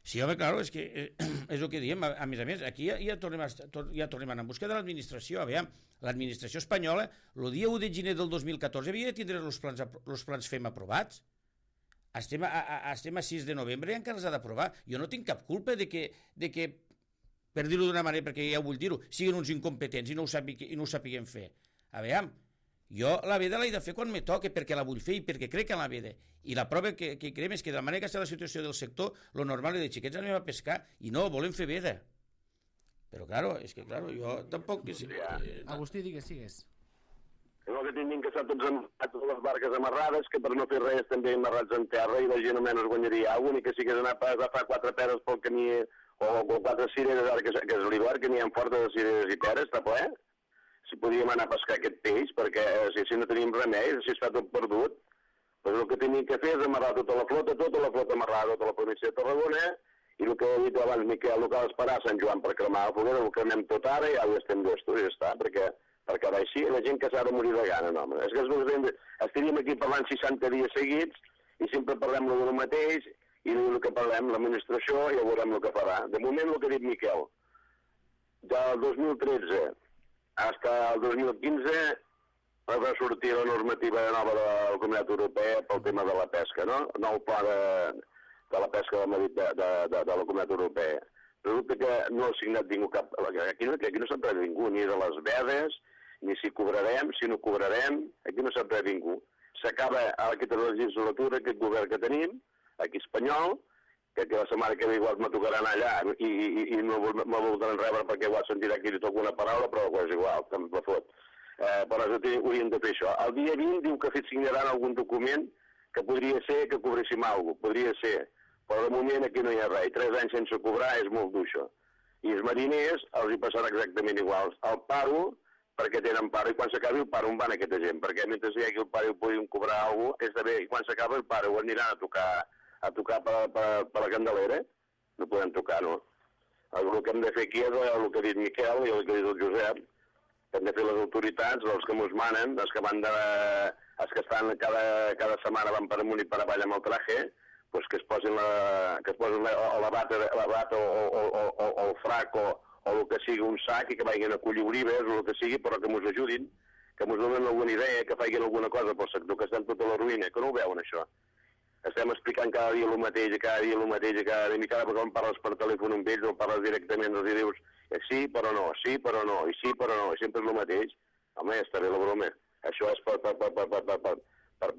Sí, home, clar, és que és el que diem. A més, aquí ja tornem a buscar de l'administració. Aviam, l'administració espanyola, el dia 1 de gener del 2014 havia de tindre els plans FEM aprovats. Estem a 6 de novembre i encara els ha d'aprovar. Jo no tinc cap culpa de que per dir-ho d'una manera, perquè ja vull dir-ho, siguin uns incompetents i no ho sapiguem fer. Aviam, jo la veda l'he de fer quan me toque, perquè la vull fer i perquè crec en la veda. I la prova que creiem és que de la manera que està la situació del sector, lo normal és de xiquets anem a pescar i no, volem fer veda. Però, claro, és que, claro, jo tampoc... Agustí, digues. El que tinguin que estar tots les barques amarrades, que per no fer res també amarrats en terra i la gent almenys guanyaria alguna, i que si hagués anat a agafar 4 peres pel camí o 4 cireres, ara que és l'hivern, que n'hi ha fortes de cireres i peres, està ple. Si podíem anar a pescar aquest peix, perquè si no tenim remei, si està tot perdut, doncs el que tenim que fer és amarrar tota la flota amarrada, tota la província de Tarragona, i el que he dit abans, Miquel, el que ha d'esperar a Sant Joan per cremar la foguera, el cremem tot ara i ja ho estem d'estos, i ja està, perquè així la gent que s'ha de morir de gana, no, home. És que estaríem aquí parlant 60 dies seguits i sempre parlem del mateix i el que parlem, l'administració, ja veurem el que farà. De moment, el que ha dit Miquel, del 2013 fins al 2015 va sortir la normativa nova de la Comunitat Europea pel tema de la pesca, no? El nou pla de la pesca de la Comunitat Europea. Resulta que no ha signat ningú cap... Aquí no sap res ningú, ni de les vedes, ni si cobrarem, si no cobrarem, aquí no sap res ningú. S'acaba aquesta legislatura, aquest govern que tenim, aquí espanyol, que la setmana que ve igual me tocarà anar allà i no me voldran rebre perquè igual sentirà que li toco una paraula, però és igual, també me fot. Però hauríem de fer això. El dia 20 diu que signaran algun document que podria ser que cobréssim alguna cosa, podria ser, però de moment aquí no hi ha res. 3 anys sense cobrar és molt dur, i els mariners els hi passarà exactament igual. El paro, perquè tenen paro, i quan s'acabi el paro on van aquesta gent, perquè mentre hi hagi el paro i puguin cobrar alguna cosa, és de bé, i quan s'acaba el paro aniran a tocar per la Candelera, no podem tocar, no? El que hem de fer aquí és el que ha dit Miquel i el que ha dit el Josep, que hem de fer les autoritats, els que mos manen, els que estan cada setmana van per amunt i per avall amb el traje, pues que es posin la bata o el frac o el que sigui un sac i que vagin a collir olives o el que sigui, però que mos ajudin, que mos donen alguna idea, que facin alguna cosa pel sector, que estan tota la ruïna, que no ho veuen això. Estem explicant cada dia el mateix, i cada dia, i cada vegada quan parles per telèfon amb ells o parles directament els dius sí, però no, sí, però no, i sí, però no, i sempre és el mateix. Home, està bé la broma. Això és per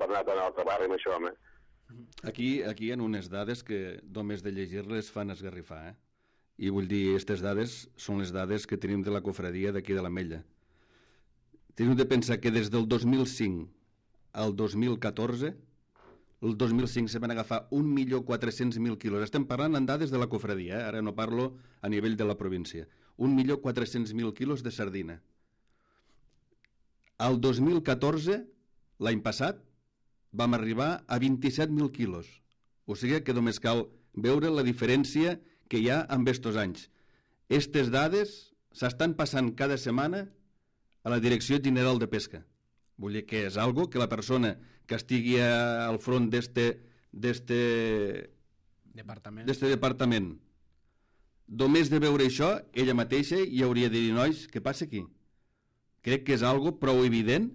anar tan altre barri amb això, home. Aquí hi ha unes dades que només de llegir-les fan esgarrifar, I vull dir, aquestes dades són les dades que tenim de la cofradia d'aquí de l'Ametlla. Teniu de pensar que des del 2005 al 2014, el 2005 se van agafar 1.400.000 quilos. Estem parlant en dades de la cofradia, ara no parlo a nivell de la província. 1.400.000 quilos de sardina. Al 2014, l'any passat, vam arribar a 27.000 quilos. O sigui que només cal veure la diferència que hi ha amb estos anys. Estes dades s'estan passant cada setmana a la Direcció General de Pesca. Vull dir que és algo que la persona que estigui al front d'este departament, només de veure això, ella mateixa hi hauria de dir, nois, què passa aquí? crec que és algo prou evident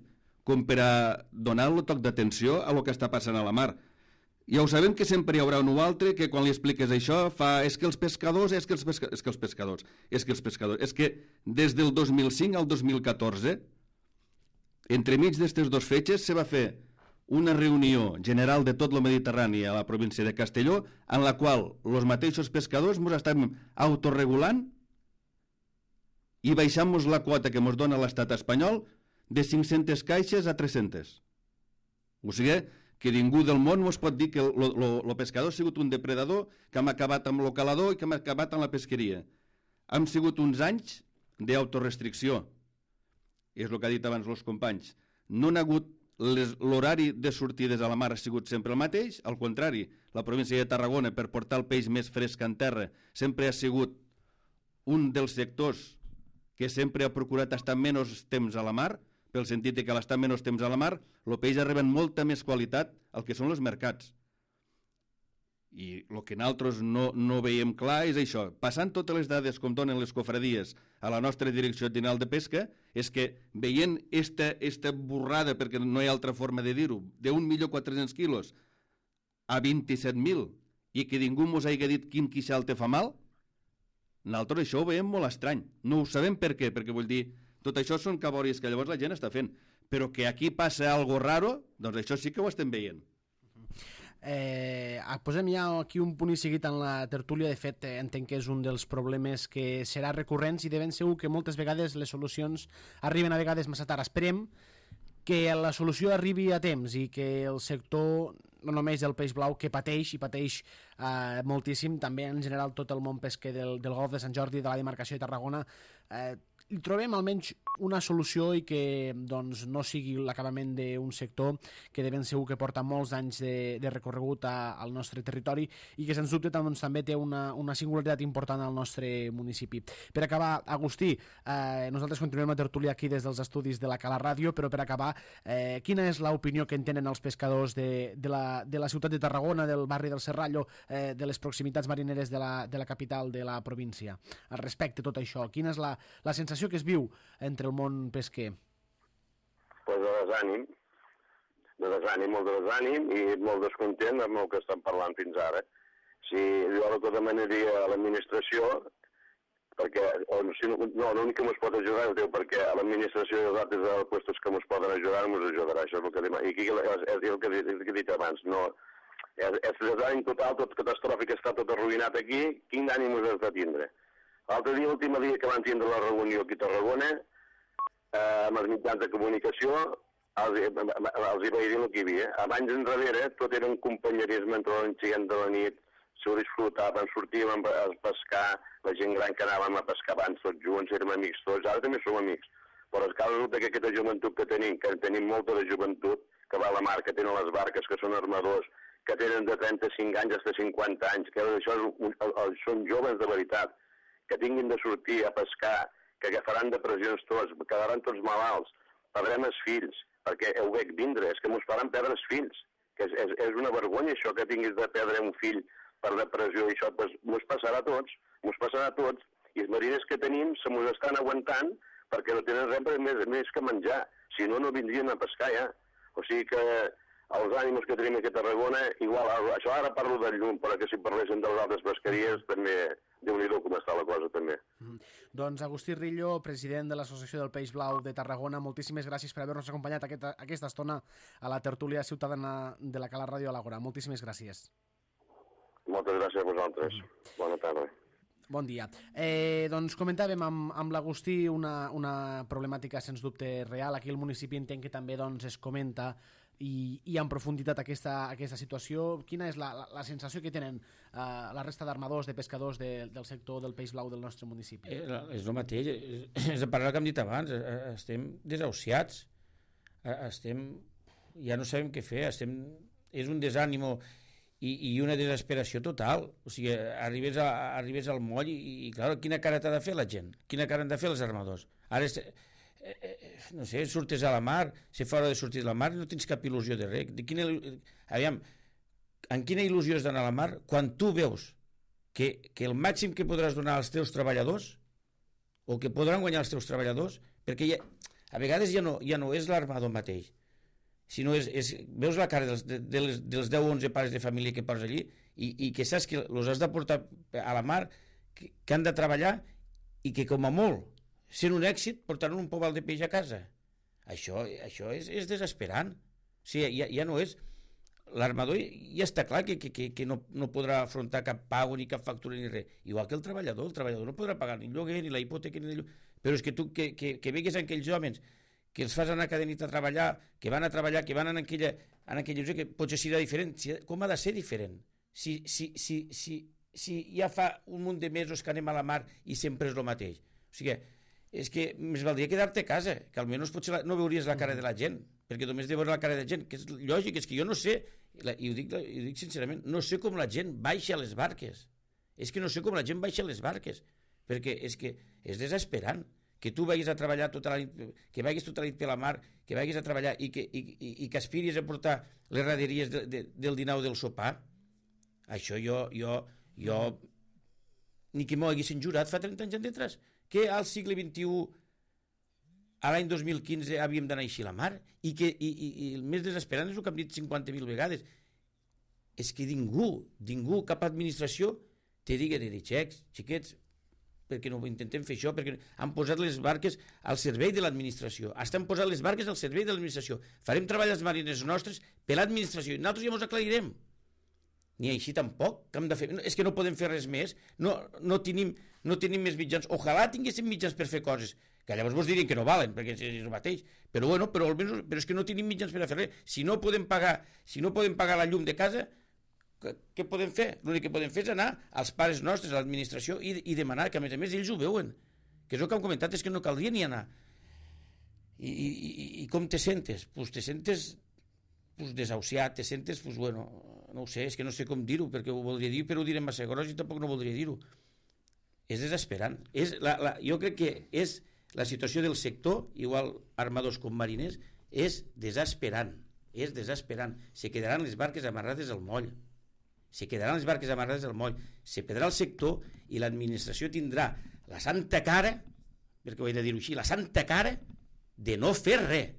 com per a donar el toc d'atenció a lo que està passant a la mar. Ja ho sabem que sempre hi haurà un o altre que quan li expliques això és que els pescadors, és que des del 2005 al 2014, entremig d'aquestes dues fetges, se va fer una reunió general de tot el Mediterrani a la província de Castelló, en la qual els mateixos pescadors ens estem autorregulant i baixant-nos la quota que ens dona l'estat espanyol de 500 caixes a 300. O sigui que ningú del món ens pot dir que el pescador ha sigut un depredador, que hem acabat amb el calador i que hem acabat amb la pesqueria. Hem sigut uns anys d'autorestricció. És el que ha dit abans els companys. No n'ha hagut l'horari de sortides a la mar ha sigut sempre el mateix, al contrari, la província de Tarragona, per portar el peix més fresc en terra, sempre ha sigut un dels sectors que sempre ha procurat estar menys temps a la mar, pel sentit que a l'estar menys temps a la mar, el peix arriba amb molta més qualitat al que són els mercats. I el que nosaltres no veiem clar és això. Passant totes les dades com donen les cofradies a la nostra Direcció General de Pesca, és que veient esta borrada, perquè no hi ha altra forma de dir-ho, de 1.400.000 quilos a 27.000 i que ningú ens hagi dit quin queixal te fa mal, nosaltres això ho veiem molt estrany. No ho sabem per què, perquè vull dir, tot això són cabòries que llavors la gent està fent, però que aquí passa algo raro, doncs això sí que ho estem veient. Posem ja aquí un punt i seguit en la tertúlia. De fet, entenc que és un dels problemes que serà recurrents i de ben segur que moltes vegades les solucions arriben a vegades massa tard. Esperem que la solució arribi a temps i que el sector, no només el peix blau, que pateix i pateix moltíssim, també en general tot el món pesquer del Golf de Sant Jordi, de la demarcació de Tarragona, hi trobem almenys una solució i que doncs, no sigui l'acabament d'un sector que de ben segur que porta molts anys de recorregut al nostre territori i que sens dubte doncs, també té una singularitat important al nostre municipi. Per acabar, Agustí, nosaltres continuem la tertúlia aquí des dels estudis de la Cala Ràdio, però per acabar, quina és l'opinió que en tenen els pescadors de la ciutat de Tarragona, del barri del Serrallo, de les proximitats marineres de la capital de la província? Al respecte a tot això, quina és la sensació que es viu entre el món pesquer? Pues de desànim, molt de desànim i molt descontent amb el que estan parlant fins ara. Si jo el que demanaria a l'administració, perquè l'únic que ens pot ajudar és perquè a l'administració i els altres puestos que ens poden ajudar ens ajudarà, això és el que demana. I aquí és el que he dit abans, no, és desànim total, tot catastròfic, està tot arruïnat aquí, quin ànim us has de tindre? L'altre dia, l'últim dia que van tindre la reunió aquí a Tarragona, amb els mitjans de comunicació, els hi vaig dir el que hi havia. Abans enrere tot era un companyerisme entre l'enxiguent de la nit, s'ho disfrutaven, sortíem a pescar, la gent gran que anàvem a pescar abans tots junts, érem amics tots, ara també som amics. Però és que resulta que aquesta joventut que tenim molta de joventut, que va a la mar, que tenen les barques, que són armadors, que tenen de 35 anys fins a 50 anys, que això són joves de veritat, que tinguin de sortir a pescar, que agafaran depressions tots, quedaran tots malalts, perdrem els fills, perquè ho veig vindre, és que ens faran perdre els fills, que és una vergonya això que tinguis de perdre un fill per depressió i això, doncs ens passarà a tots, i els mariners que tenim se mos estan aguantant perquè no tenen res més que menjar, si no, no vindrien a pescar ja. O sigui que els ànims que tenim aquí a Tarragona, igual, això ara parlo del llum, però que si parléssim de les altres pesqueries, també, Déu-n'hi-do com està la cosa, també. Doncs Agustí Rillo, president de l'Associació del Peix Blau de Tarragona, moltíssimes gràcies per haver-nos acompanyat aquesta estona a la tertúlia ciutadana de la Cala Ràdio a l'Àgora. Moltíssimes gràcies. Moltes gràcies a vosaltres. Bona tarda. Bon dia. Doncs comentàvem amb l'Agustí una problemàtica sens dubte real. Aquí al municipi entenc que també doncs, es comenta i en profunditat aquesta situació. Quina és la sensació que tenen la resta d'armadors, de pescadors del sector del peix blau del nostre municipi? És el mateix, és de parlar que hem dit abans, estem desahuciats, ja no sabem què fer, és un desànimo i una desesperació total. O sigui, arribes al moll i clar, quina cara t'ha de fer la gent? Quina cara han de fer els armadors? Ara no sé, surtes a la mar, si fa hora de sortir a la mar no tens cap il·lusió de res. Aviam, en quina il·lusió has d'anar a la mar quan tu veus que el màxim que podràs donar als teus treballadors o que podran guanyar els teus treballadors, perquè a vegades ja no és l'armador mateix, sinó veus la cara dels 10 o 11 pares de família que poses allí i que saps que els has de portar a la mar, que han de treballar i que com a molt, sent un èxit, portaran un pobal de peix a casa. Això és desesperant. O sigui, ja no és... L'armador ja està clar que no podrà afrontar cap pago ni cap factura ni res. Igual que el treballador no podrà pagar ni lloguer, ni la hipoteca, ni lloguer. Però és que tu que vegues aquells homes que els fas anar cada nit a treballar, que van a treballar, que van en aquella lloc, que potser serà diferent. Com ha de ser diferent? Si ja fa un munt de mesos que anem a la mar i sempre és el mateix. O sigui, és que més valdria quedar-te a casa, que almenys potser no veuries la cara de la gent, perquè només de veure la cara de la gent, que és lògic, és que jo no sé, i ho dic sincerament, no sé com la gent baixa a les barques. És que no sé com la gent baixa a les barques, perquè és que és desesperant que tu vagis a treballar tota la nit, que vagis tota la nit per la mar, que vagis a treballar i que aspiris a portar les raderies del dinar o del sopar. Això jo ni que m'ho haguessin jurat fa 30 anys enrere, que al segle XXI, a l'any 2015, havíem d'anar així a la mar, i el més desesperant és el que hem dit 50.000 vegades, és que ningú, cap administració, te digui de dir, xiquets, perquè no intentem fer això, perquè han posat les barques al servei de l'administració, estan posant les barques al servei de l'administració, farem treballs marines nostres per l'administració, i nosaltres ja ens aclarirem. Ni així tampoc, que hem de fer... És que no podem fer res més, no tenim més mitjans, ojalà tinguéssim mitjans per fer coses, que llavors vos dirien que no valen, perquè és el mateix, però és que no tenim mitjans per a fer res. Si no podem pagar la llum de casa, què podem fer? L'únic que podem fer és anar als pares nostres, a l'administració, i demanar, que a més ells ho veuen, que és el que han comentat, és que no caldria ni anar. I com te sentes? Pues te sentes desahuciat, te sentes, bueno, no ho sé, és que no sé com dir-ho, perquè ho voldria dir, però ho diré massa gros i tampoc no voldria dir-ho. És desesperant. Jo crec que és la situació del sector, igual armadors com mariners, és desesperant. Se quedaran les barques amarrades al moll. Se perdrà el sector i l'administració tindrà la santa cara, perquè ho he de dir-ho així, la santa cara de no fer res.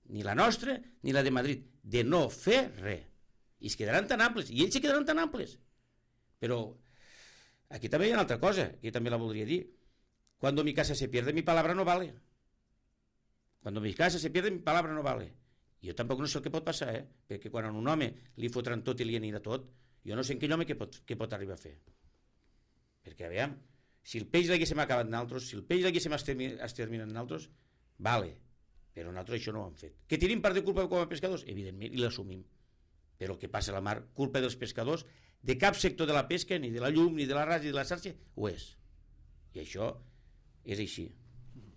Ni la nostra ni la de Madrid. De no fer res. I es quedaran tan amples. I ells se quedaran tan amples. Però aquí també hi ha una altra cosa, que també la voldria dir. Cuando mi casa se pierde, mi palabra no vale. Cuando mi casa se pierde, mi palabra no vale. Jo tampoc no sé el que pot passar, perquè quan a un home li fotran tot i li anirà tot, jo no sé en aquell home què pot arribar a fer. Perquè, aviam, si el peix l'haguéssim acabat nosaltres, si el peix l'haguéssim exterminat nosaltres, vale, però nosaltres això no ho hem fet. Que tenim part de culpa com a pescadors? Evidentment, i l'assumim. Però el que passa a la mar, culpa dels pescadors, de cap sector de la pesca, ni de la llum, ni de la rasa, ni de la xarxa, ho és. I això és així.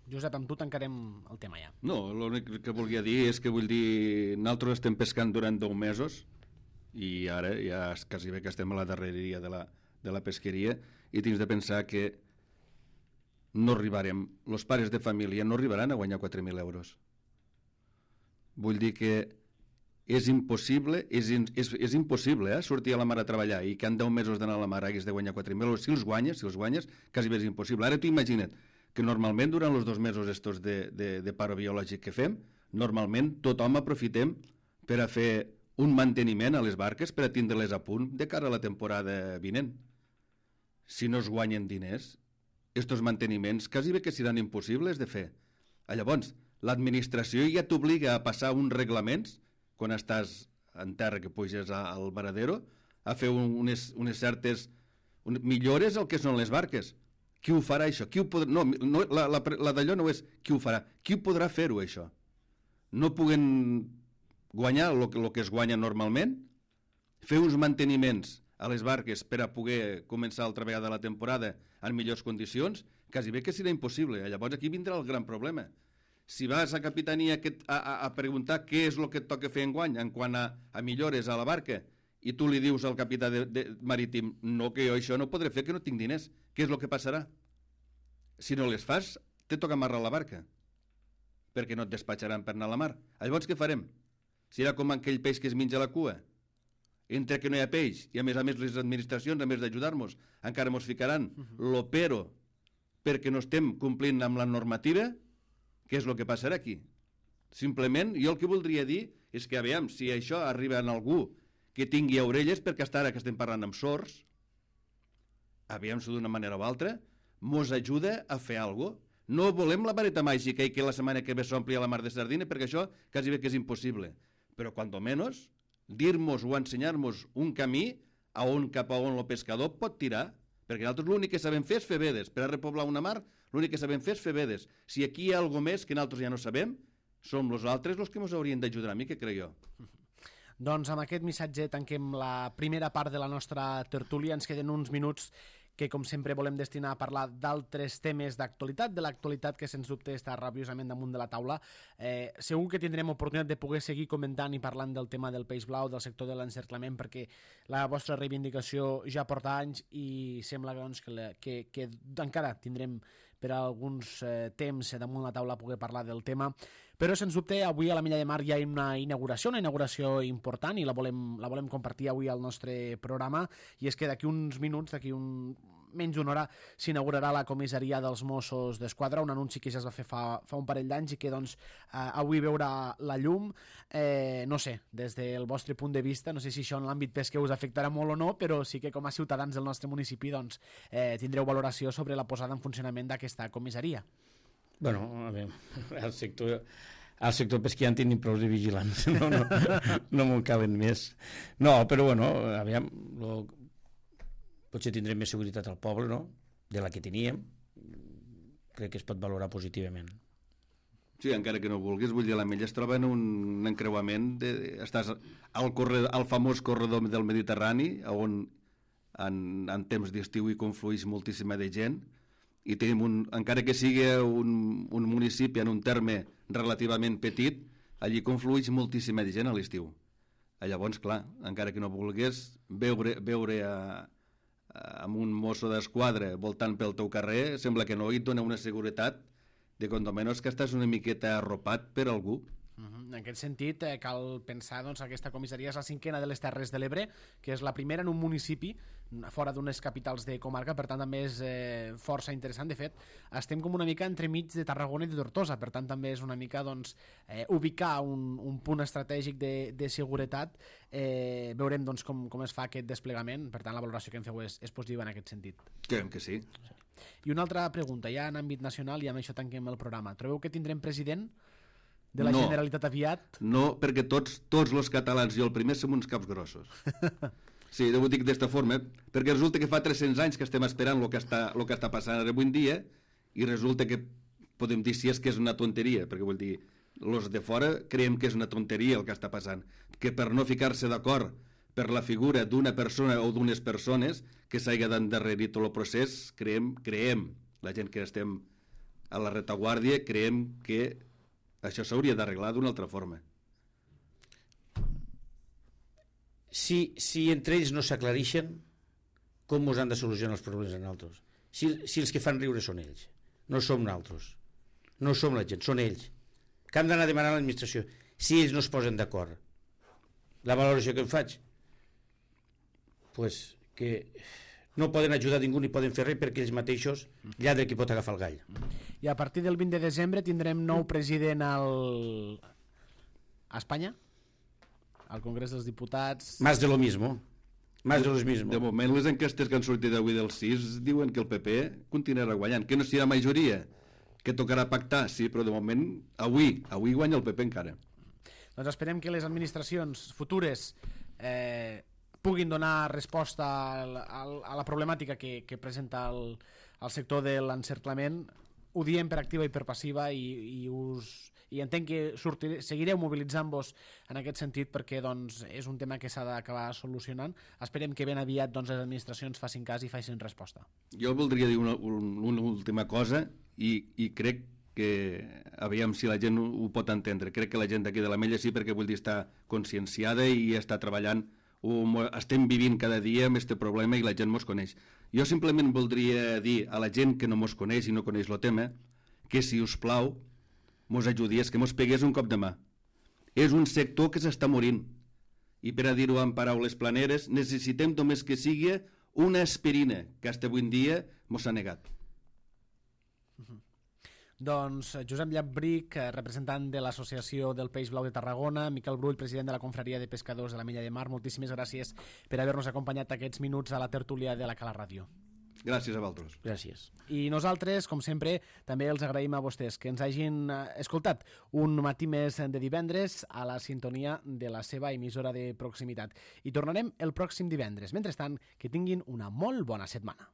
Josep, amb tu tancarem el tema ja. No, l'únic que volia dir és que vull dir, nosaltres estem pescant durant 10 mesos i ara ja quasi bé que estem a la darreria de la pesqueria i tens de pensar que no arribarem, els pares de família no arribaran a guanyar 4.000 euros. Vull dir que és impossible sortir a la mar a treballar i que en 10 mesos d'anar a la mar hagués de guanyar 4.000 euros. Si els guanyes, quasi bé és impossible. Ara tu imagina't que normalment durant els 2 mesos estos de paro biològic que fem, normalment tothom aprofitem per a fer un manteniment a les barques per a tindre-les a punt de cara a la temporada vinent. Si no es guanyen diners, estos manteniments quasi bé que seran impossibles de fer. Llavors, l'administració ja t'obliga a passar uns reglaments quan estàs en terra que puges al varadero, a fer unes certes millores al que són les barques. Qui ho farà, això? Qui ho podrà... No, la d'allò no és qui ho farà. Qui ho podrà fer-ho, això? No puguen guanyar el que es guanya normalment, fer uns manteniments a les barques per a poder començar altra vegada la temporada en millors condicions, quasi bé que serà impossible. Llavors aquí vindrà el gran problema. Si vas a capitania a preguntar què és el que et toca fer enguany en quant a millores a la barca i tu li dius al capità marítim no, que jo això no podré fer, que no tinc diners, què és el que passarà? Si no les fas, te toca amarrar la barca perquè no et despatxaran per anar a la mar. Llavors què farem? Serà com aquell peix que es menja la cua, entre que no hi ha peix i a més les administracions, a més d'ajudar-nos, encara ens ficaran lo pero perquè no estem complint amb la normativa. què és el que passarà aquí. Simplement, jo el que voldria dir és que, aviam, si això arriba en algú que tingui orelles, perquè hasta ara que estem parlant amb sords, aviam si d'una manera o altra, mos ajuda a fer alguna cosa. No volem la vareta màgica i que la setmana que ve s'ompli a la mar de sardina, perquè això quasi bé que és impossible. Però, cuanto menos, dir-nos o ensenyar-nos un camí cap a on el pescador pot tirar, perquè nosaltres l'únic que sabem fer és fer vedes. Per a repoblar una mar, l'únic que sabem fer és fer vedes. Si aquí hi ha alguna més que nosaltres ja no sabem, som nosaltres els que ens haurien d'ajudar a mi, que crec jo. Doncs amb aquest missatge tanquem la primera part de la nostra tertúlia. Ens queden uns minuts que, com sempre, volem destinar a parlar d'altres temes d'actualitat, de l'actualitat que, sens dubte, està rabiosament damunt de la taula. Segur que tindrem oportunitat de poder seguir comentant i parlant del tema del peix blau, del sector de l'encerclament, perquè la vostra reivindicació ja porta anys i sembla doncs, que encara tindrem per a alguns temps damunt la taula poder parlar del tema. Però, sens dubte, avui a la Milla de Mar hi ha una inauguració important, i la volem compartir avui al nostre programa, i és que d'aquí uns minuts, menys d'una hora, s'inaugurarà la comissaria dels Mossos d'Esquadra, un anunci que ja es va fer fa un parell d'anys i que doncs, avui veurà la llum. No sé, des del vostre punt de vista, no sé si això en l'àmbit pesquer us afectarà molt o no, però sí que com a ciutadans del nostre municipi doncs, tindreu valoració sobre la posada en funcionament d'aquesta comissaria. Bueno, a veure, al sector pesquer en tenim prou de vigilants, no m'ho caben més. No, però bueno, aviam, potser tindrem més seguretat al poble, no?, de la que teníem. Crec que es pot valorar positivament. Sí, encara que no vulguis, vull dir, la Mella es troba en un encreuament, estàs al famós corredor del Mediterrani, on en temps d'estiu hi conflueix moltíssima de gent, i tenim encara que sigui un municipi en un terme relativament petit, allí conflueix moltíssima de gent a l'estiu. Llavors, clar, encara que no vulguis veure amb un mosso d'esquadra voltant pel teu carrer, sembla que no, i et dona una seguretat de com menys que estàs una miqueta arropat per algú. En aquest sentit, cal pensar doncs, que aquesta comissaria és la 5ª de les Terres de l'Ebre, que és la primera en un municipi fora d'unes capitals de comarca, per tant també és força interessant. De fet, estem com una mica entremig de Tarragona i de Tortosa, per tant també és una mica doncs, ubicar un punt estratègic de seguretat. Veurem doncs, com es fa aquest desplegament, per tant la valoració que en feu és positiva en aquest sentit. Creiem que sí. I una altra pregunta, ja en àmbit nacional, i amb això tanquem el programa. Trobeu que tindrem president de la Generalitat aviat? No, perquè tots els catalans, jo el primer, som uns caps grossos. Sí, ho dic d'esta forma, perquè resulta que fa 300 anys que estem esperant el que està passant ara avui en dia, i resulta que podem dir si és que és una tonteria, perquè vull dir, els de fora creiem que és una tonteria el que està passant, que per no ficar-se d'acord per la figura d'una persona o d'unes persones que s'hagi d'endarrerir tot el procés, creiem, la gent que estem a la retaguardia, creiem que això s'hauria d'arreglar d'una altra forma. Si entre ells no s'aclareixen, com ens han de solucionar els problemes a nosaltres? Si els que fan riure són ells, no som nosaltres, no som la gent, són ells, que han d'anar a demanar a l'administració. Si ells no es posen d'acord, la valoració que em faig, pues que no poden ajudar ningú ni poden fer res perquè ells mateixos lladre qui pot agafar el gall. I a partir del 20 de desembre tindrem nou president a Espanya, al Congrés dels Diputats. Más de lo mismo. De moment, les enquestes que han sortit avui del 6 diuen que el PP continuarà guanyant, que no serà majoria, que tocarà pactar, sí, però de moment avui guanya el PP encara. Doncs esperem que les administracions futures puguin donar resposta a la problemàtica que presenta el sector de l'encerclament. Ho diem per activa i per passiva, i entenc que seguireu mobilitzant-vos en aquest sentit, perquè doncs, és un tema que s'ha d'acabar solucionant. Esperem que ben aviat doncs, les administracions facin cas i facin resposta. Jo voldria dir una última cosa, i crec que, aviam si la gent ho pot entendre, crec que la gent d'aquí de la Mella sí, perquè vull dir està conscienciada i està treballant, estem vivint cada dia amb aquest problema i la gent mos coneix. Jo simplement voldria dir a la gent que no mos coneix i no coneix el tema, que si us plau mos ajudies, que mos pegués un cop de mà. És un sector que s'està morint, i per a dir-ho en paraules planeres, necessitem només que sigui una aspirina, que fins avui en dia mos s'ha negat. Doncs Josep Llabric, representant de l'Associació del Peix Blau de Tarragona, Miquel Brull, president de la Confraria de Pescadors de la Milla de Mar, moltíssimes gràcies per haver-nos acompanyat aquests minuts a la tertúlia de la Cala Ràdio. Gràcies a vosaltres. Gràcies. I nosaltres, com sempre, també els agraïm a vostès que ens hagin escoltat un matí més de divendres a la sintonia de la seva emissora de proximitat. I tornarem el pròxim divendres. Mentrestant, que tinguin una molt bona setmana.